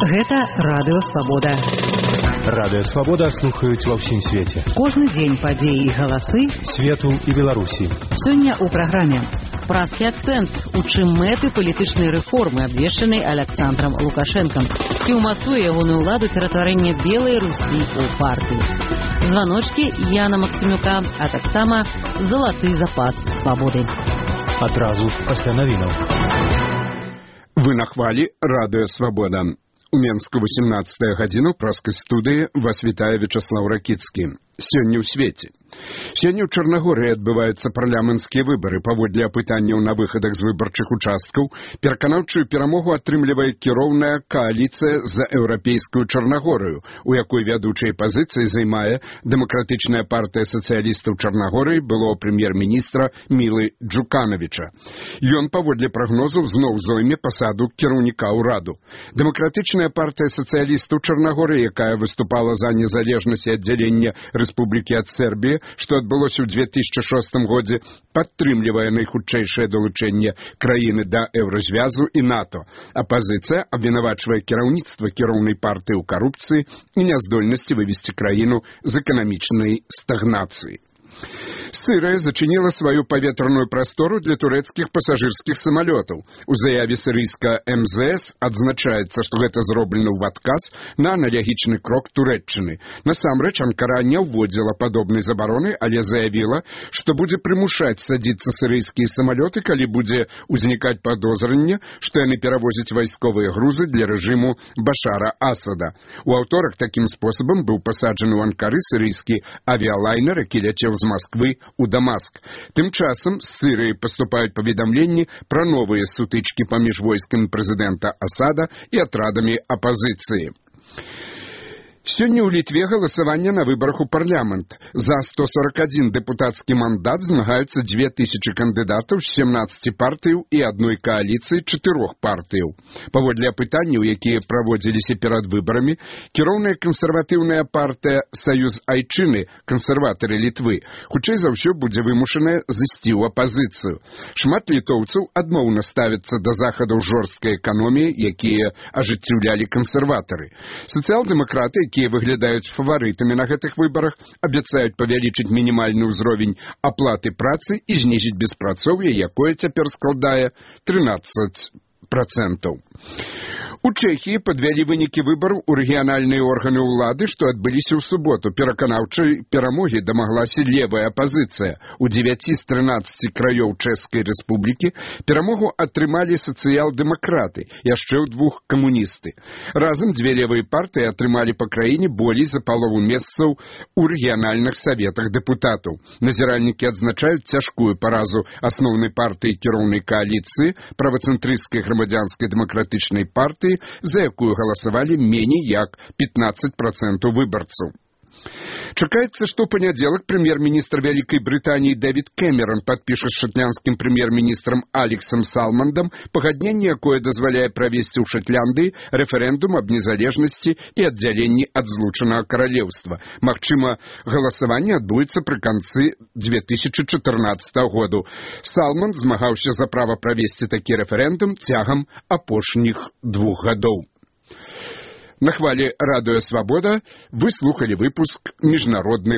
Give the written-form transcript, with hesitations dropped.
Гэта Радыё Свабода. Радыё Свабода слухаюць ва ўсім свеце. Кожны дзень падзеі і галасы свету і Беларусі. Сёння ў праграме «Празкі акцэнт», у чым мэты палітычнай рэформы, абвешчанай Аляксандрам Лукашэнкам, і ўмацуе ягоную ўладу ператварэння Белай Русі ў партыю. Званочкі Яна Максімюка, а таксама залаты запас свабоды. Адразу пасля навінаў. Вы на хвалі Радыё Свабода. У Менску 18 гадзіну праскай студыі вас вітае Вячаслаў Ракіцкі. Сёння ў свеце. Сёння ў Чарнагорыі адбываюцца парламенцкія выбары. Паводле апытанняў на выхадах з выбарчых участкаў пераканаўчую перамогу атрымлівае кіроўная кааліцыя за еўрапейскую Чарнагорыю, у якой вядучай пазіцыі займае Дэмакратычная партыя сацыялістаў Чарнагорыі былого прэм'ер-міністра Мілы Джуканавіча. Ён, паводле прагнозаў, зноў зойме пасаду кіраўніка ўраду. Дэмакратычная партыя сацыялістаў Чарнагорыі, якая выступала за незалежнасць і аддзяленне Рэспублікі ад Сербіі, што адбылося ў 2006 годзе, падтрымлівае найхутчэйшае далучэнне краіны да еўразвязу і НАТО. Апазіцыя абвінавачвае кіраўніцтва кіроўнай партыі ў карупцыі і няздольнасці вывесці краіну з эканамічнай стагнацыі. Сырыя зачыніла сваю паветраную прастору для турэцкіх пасажырскіх самалётаў. У заяве сірыйска МЗС адзначаецца, што гэта зроблена ў адказ на аналагічны крок Турэччыны. Насамрэч, Анкара не ўводзіла падобнай забароны, але заявіла, што будзе прымушаць садзіцца сірыйскія самалёты, калі будзе ўзнікаць падозранне, што яны перавозяць вайсковыя грузы для рэжыму Башара Асада. У аўторак такім спосабам быў пасаджаны ў Анкары сірыйскі авіялайнер, які ляцеў з Масквы у Дамаск. Тым часам з Сырыі паступаюць паведамленні пра новыя сутычкі паміж войскамі прэзідэнта Асада і атрадамі апазіцыі. Сёння ў Літве галасаванне на выбарах у парламент. За 141 дэпутацкі мандат змагаюцца 2000 кандыдатаў з 17 партыяў і адной кааліцыі 4 партыяў. Паводле апытанняў, якія праводзіліся перад выбарамі, кіроўная кансерватыўная партыя «Саюз Айчыны», кансерватары Літвы, хутчэй за ўсё будзе вымушаная зысці ў апазіцыю. Шмат літоўцаў адмоўна ставяцца да захадаў жорсткай эканоміі, якія ажыццяўлялі кансерватары. Сацыял-дэмакраты, якія выглядаюць фаварытамі на гэтых выбарах, абяцаюць павялічыць мінімальны ўзровень аплаты працы і знізіць беспрацоўе, якое цяпер складае 13%. У Чэхіі падвялі вынікі выбараў у рэгіянальныя органы ўлады, што адбыліся ў суботу. Пераканаўчай перамогі дамаглася левая апазіцыя. У 9 з 13 краёў Чэшскай рэспублікі перамогу атрымалі сацыял-дэмакраты, яшчэ ў 2 камуністы. Разам дзве левыя партыі атрымалі па краіне болей за палову месцаў у рэгіянальных саветах дэпутатаў. Назіральнікі адзначаюць цяжкую паразу асноўнай партыі кіроўнай кааліцыі, правацэнтрысцкай грамадзянскай дэмакратычнай партыі, за якую галасавалі меней як 15% выбарцаў. Чакаецца, што ў панядзелак прэм'ер-міністр Вялікай Брытаніі Дэвід Кэмерон падпіша з шатландскім прэм'ер-міністрам Алексам Салмандам пагадненне, якое дазваляе правесці ў Шатландыі рэферэндум аб незалежнасці і аддзяленні ад злучанага каралеўства. Магчыма, галасаванне адбудзецца пры канцы 2014 году. Салманд змагаўся за права правесці такі рэферэндум цягам апошніх 2 гадоў. На хвалі Радыё Свабода вы слухалі выпуск міжнародных